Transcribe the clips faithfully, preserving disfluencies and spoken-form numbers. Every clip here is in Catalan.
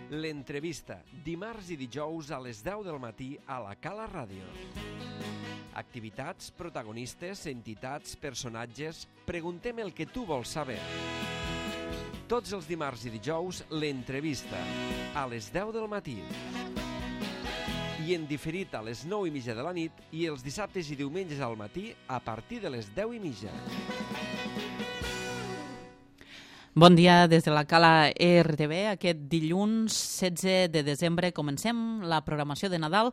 L'entrevista, dimarts i dijous a les deu del matí a la Cala Ràdio. Activitats, protagonistes, entitats, personatges... Preguntem el que tu vols saber. Tots els dimarts i dijous, l'entrevista, a les deu del matí. I en diferit a les nou i mitja de la nit i els dissabtes i diumenges al matí a partir de les deu i mitja. Bon dia des de la Cala R T V. Aquest dilluns setze de desembre comencem la programació de Nadal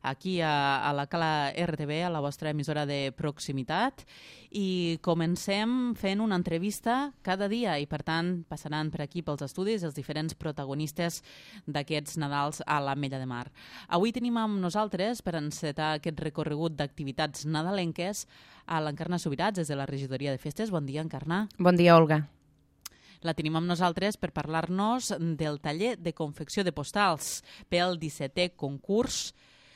aquí a, a la Cala R T V, a la vostra emissora de proximitat, i comencem fent una entrevista cada dia i, per tant, passaran per aquí pels estudis els diferents protagonistes d'aquests Nadals a l'Ametlla de Mar. Avui tenim amb nosaltres, per encetar aquest recorregut d'activitats nadalenques, a l'Encarna Subirats, des de la Regidoria de Festes. Bon dia, Encarna. Bon dia, Olga. La tenim amb nosaltres per parlar-nos del taller de confecció de postals pel dissetè concurs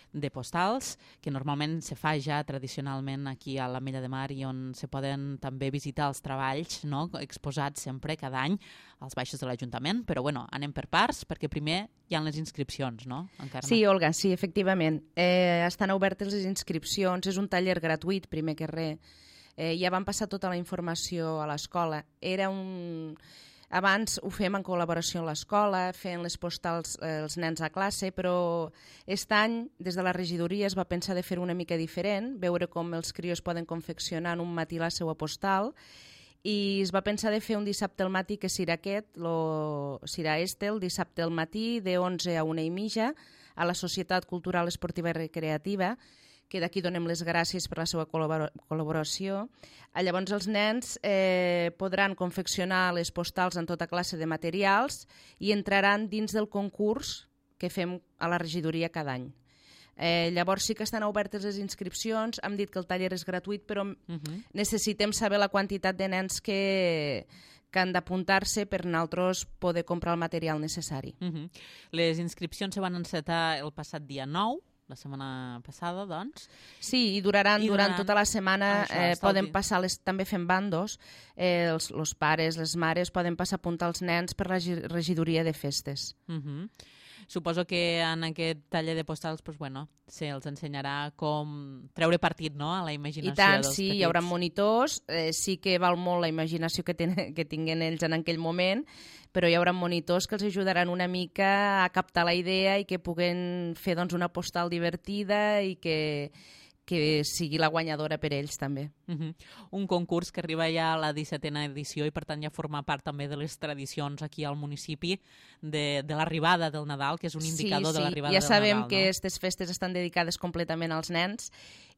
de postals, que normalment se fa ja tradicionalment aquí a l'Ametlla de Mar i on se poden també visitar els treballs, no?, exposats sempre cada any als baixos de l'Ajuntament. Però bueno, anem per parts, perquè primer hi ha les inscripcions, no, Encarna? Sí, Olga, sí, efectivament. Eh, estan obertes les inscripcions, és un taller gratuït, primer que res. Eh, ja van passar tota la informació a l'escola. Era un... Abans ho fem en col·laboració amb l'escola, fent les postals eh, els nens a classe, però aquest any, des de la regidoria, es va pensar de fer una mica diferent, veure com els crios poden confeccionar en un matí la seva postal, i es va pensar de fer un dissabte al matí, que serà aquest, lo, serà este, el dissabte al matí, de onze a una i mitja, a la Societat Cultural Esportiva i Recreativa, que d'aquí donem les gràcies per la seva col·laboració. Llavors els nens eh, podran confeccionar les postals en tota classe de materials i entraran dins del concurs que fem a la regidoria cada any. Eh, llavors sí que estan obertes les inscripcions, hem dit que el taller és gratuït, però uh-huh. necessitem saber la quantitat de nens que... que han d'apuntar-se per nosaltres poder comprar el material necessari. Uh-huh. Les inscripcions se van encetar el passat dia nou, la setmana passada, doncs. Sí, i duraran, I durant durant tota la setmana, ah, això, eh, poden passar, les, també fem bandos, eh, els, els pares, les mares, poden passar a apuntar els nens per la regidoria de festes. Uh-huh. Suposo que en aquest taller de postals, pues, bueno, se els ensenyarà com treure partit, no?, a la imaginació I tant, dels sí, petits. Hi haurà monitors, eh, sí que val molt la imaginació que, ten, que tinguen ells en aquell moment, però hi haurà monitors que els ajudaran una mica a captar la idea i que puguen fer, doncs, una postal divertida i que, que sigui la guanyadora per ells també. Uh-huh. Un concurs que arriba ja a la dissetena edició i per tant ja forma part també de les tradicions aquí al municipi de, de l'arribada del Nadal, que és un indicador sí, sí. de l'arribada ja del Nadal. Ja sabem no? que aquestes festes estan dedicades completament als nens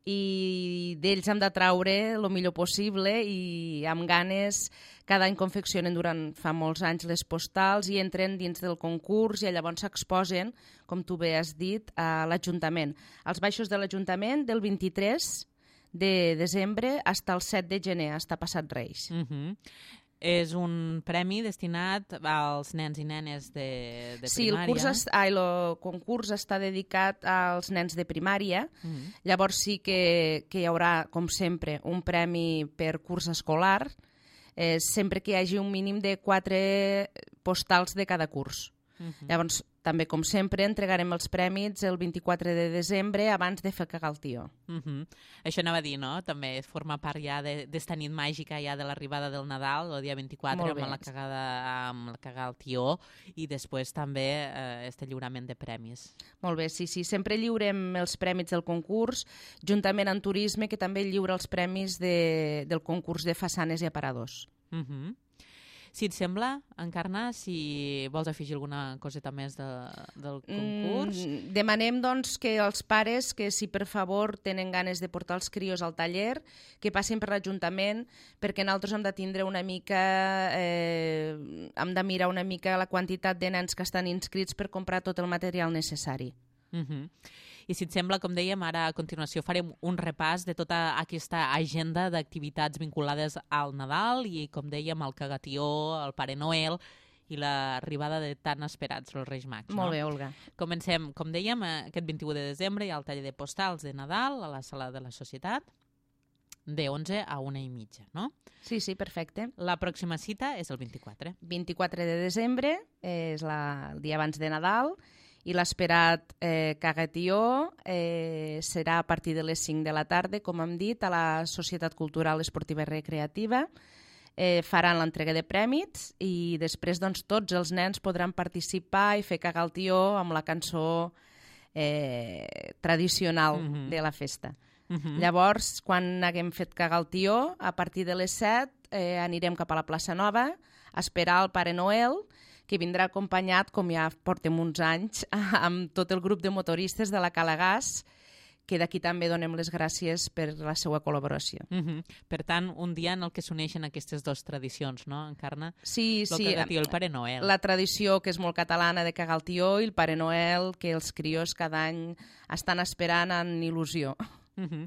i d'ells hem de traure el millor possible i amb ganes cada any confeccionen durant fa molts anys les postals i entren dins del concurs i llavors s'exposen, com tu bé has dit, a l'Ajuntament. Als baixos de l'Ajuntament del vint-i-tres de desembre fins al set de gener, fins a passat Reis. Uh-huh. És un premi destinat als nens i nenes de, de sí, primària. Sí, el, curs es, ah, el concurs està dedicat als nens de primària. Uh-huh. Llavors sí que, que hi haurà, com sempre, un premi per curs escolar, eh, sempre que hi hagi un mínim de quatre postals de cada curs. Uh-huh. Llavors, també, com sempre, entregarem els prèmits el vint-i-quatre de desembre abans de fer cagar el tió. Uh-huh. Això anava a dir, no? També forma part ja d'esta nit màgica ja de l'arribada del Nadal, el dia vint-i-quatre, amb la cagada, amb la cagar el tió, i després també eh, este lliurament de premis. Molt bé, sí, sí. Sempre lliurem els prèmits del concurs, juntament amb Turisme, que també lliura els premis de, del concurs de façanes i aparadors. Uh-huh. Si et sembla, Encarna, si vols afegir alguna coseta més de, del concurs. Mm, demanem, doncs, que els pares, que si per favor tenen ganes de portar els crios al taller, que passin per l'Ajuntament, perquè nosaltres hem de tindre una mica, eh, hem de mirar una mica la quantitat de nens que estan inscrits per comprar tot el material necessari. Uh-huh. I si et sembla, com dèiem, ara a continuació farem un repàs de tota aquesta agenda d'activitats vinculades al Nadal i, com dèiem, al cagatió, al Pare Noel i l'arribada de tan esperats els Reis Mags. Molt no? bé, Olga. Comencem, com dèiem, aquest vint-i-u de desembre hi ha el taller de postals de Nadal a la sala de la Societat. de onze a una i mitja, no? Sí, sí, perfecte. La pròxima cita és el vint-i-quatre. vint-i-quatre de desembre, eh, és la, el dia abans de Nadal, i l'esperat eh, Cagatió eh, serà a partir de les cinc de la tarda, com hem dit, a la Societat Cultural Esportiva i Recreativa. Eh, faran l'entrega de prèmits i després doncs, tots els nens podran participar i fer cagar el tió amb la cançó eh, tradicional mm-hmm. de la festa. Mm-hmm. Llavors, quan haguem fet cagar el tió, a partir de les set eh, anirem cap a la plaça Nova a esperar el Pare Noel, que vindrà acompanyat, com ja portem uns anys, amb tot el grup de motoristes de la Cala Gas, que d'aquí també donem les gràcies per la seva col·laboració. Mm-hmm. Per tant, un dia en el que s'uneixen aquestes dues tradicions, no, Encarna? Sí, el sí. Cagatió i el Pare Noel. La tradició, que és molt catalana, de cagar el tió, i el Pare Noel, que els crios cada any estan esperant amb il·lusió. Mm-hmm.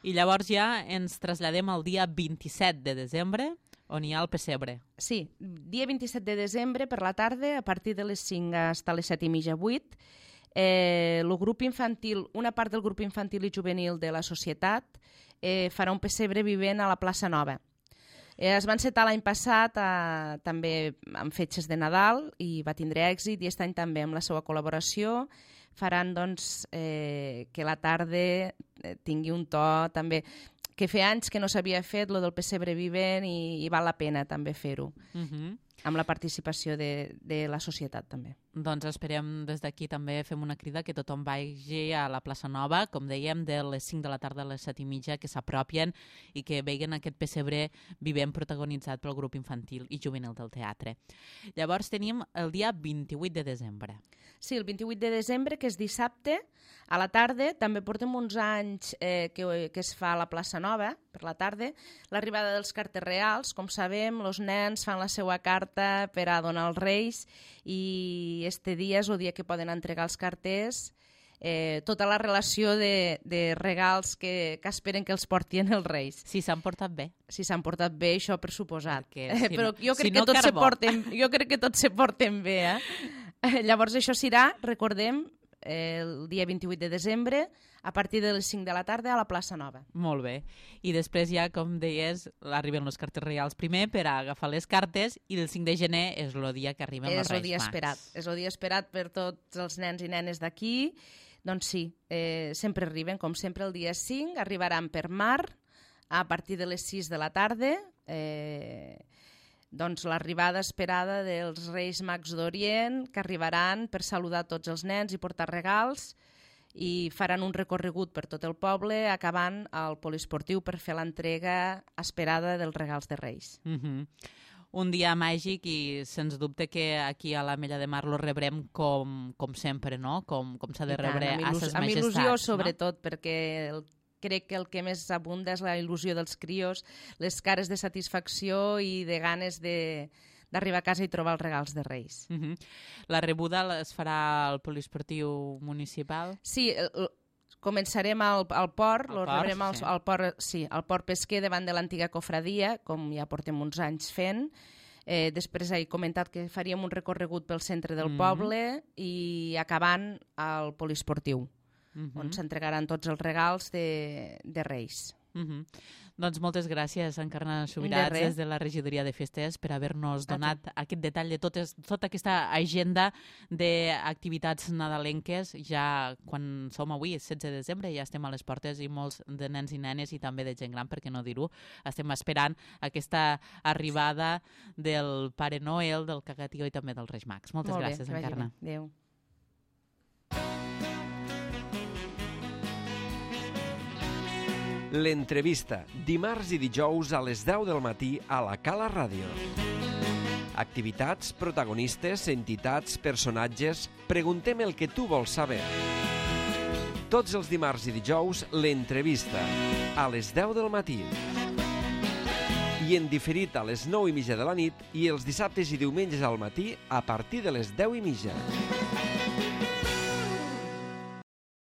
I llavors ja ens traslladem al dia vint-i-set de desembre, on hi ha el pessebre. Sí, dia vint-i-set de desembre per la tarda, a partir de les cinc fins a les set i mitja, vuit, eh, el grup infantil, una part del grup infantil i juvenil de la societat eh, farà un pessebre vivent a la plaça Nova. Eh, es va encetar l'any passat eh, també amb fetges de Nadal i va tindre èxit, i aquest any també amb la seva col·laboració faran doncs, eh, que la tarda eh, tingui un to també que feia anys que no s'havia fet, lo del pessebre vivent, i, i val la pena també fer-ho, uh-huh. amb la participació de, de la societat també. Doncs esperem des d'aquí també, fem una crida que tothom vagi a la plaça Nova, com dèiem, de les cinc de la tarda a les set i mitja, que s'apropien i que veguen aquest pessebre vivent protagonitzat pel grup infantil i juvenil del teatre. Llavors tenim el dia vint-i-vuit de desembre. Sí, el vint-i-vuit de desembre, que és dissabte, a la tarda. També portem uns anys eh, que, que es fa a la plaça Nova, per la tarda, l'arribada dels carters reals. Com sabem, els nens fan la seva carta per a donar als reis, i este dia és el dia que poden entregar els carters, eh, tota la relació de, de regals que, que esperen que els portin els reis. Si s'han portat bé. Si s'han portat bé, això per suposat. Perquè, si Però jo crec, si no, que tots se carbó. porten, jo crec que tots se porten bé, eh? Llavors això serà, recordem, el dia vint-i-vuit de desembre, a partir de les cinc de la tarda a la plaça Nova. Molt bé. I després ja, com deies, arriben els cartes reals primer per a agafar les cartes, i el cinc de gener és el dia que arriben els Reis Mags. És el dia esperat. És el dia esperat per tots els nens i nenes d'aquí. Doncs sí, eh, sempre arriben, com sempre, el dia cinc, arribaran per mar a partir de les sis de la tarda, eh, doncs l'arribada esperada dels Reis Mags d'Orient, que arribaran per saludar tots els nens i portar regals, i faran un recorregut per tot el poble, acabant al poliesportiu per fer l'entrega esperada dels regals de Reis. Mm-hmm. Un dia màgic, i sens dubte que aquí a l'Ametlla de Mar lo rebrem com, com sempre, no? Com, com s'ha de rebre a ses majestats. Amb il·lusió, sobretot, no? Perquè el crec que el que més abunda és la il·lusió dels crios, les cares de satisfacció i de ganes de, d'arribar a casa i trobar els regals de Reis. Uh-huh. La rebuda es farà al poliesportiu municipal? Sí, el, començarem al, al port, al lo port, rebrem al, sí. al port, sí, al port pesquer davant de l'antiga cofradia, com ja portem uns anys fent. Eh, després he comentat que faríem un recorregut pel centre del mm-hmm. poble i acabant al poliesportiu. Mm-hmm. On s'entregaran tots els regals de, de Reis. Mm-hmm. Doncs moltes gràcies, Encarna Subirats, de des de la Regidoria de Festes, per haver-nos donat aquest detall de totes, tota aquesta agenda d'activitats nadalenques. Ja quan som avui, setze de desembre, ja estem a les portes, i molts de nens i nenes, i també de gent gran, per què no dir-ho, estem esperant aquesta arribada del Pare Noel, del Cagatió i també dels Reis Mags. Moltes Molt gràcies, bé, Encarna. Adéu. L'entrevista, dimarts i dijous a les deu del matí a la Cala Ràdio. Activitats, protagonistes, entitats, personatges... Preguntem el que tu vols saber. Tots els dimarts i dijous, l'entrevista, a les deu del matí. I en diferit a les nou i mitja de la nit, i els dissabtes i diumenges al matí a partir de les deu i mitja.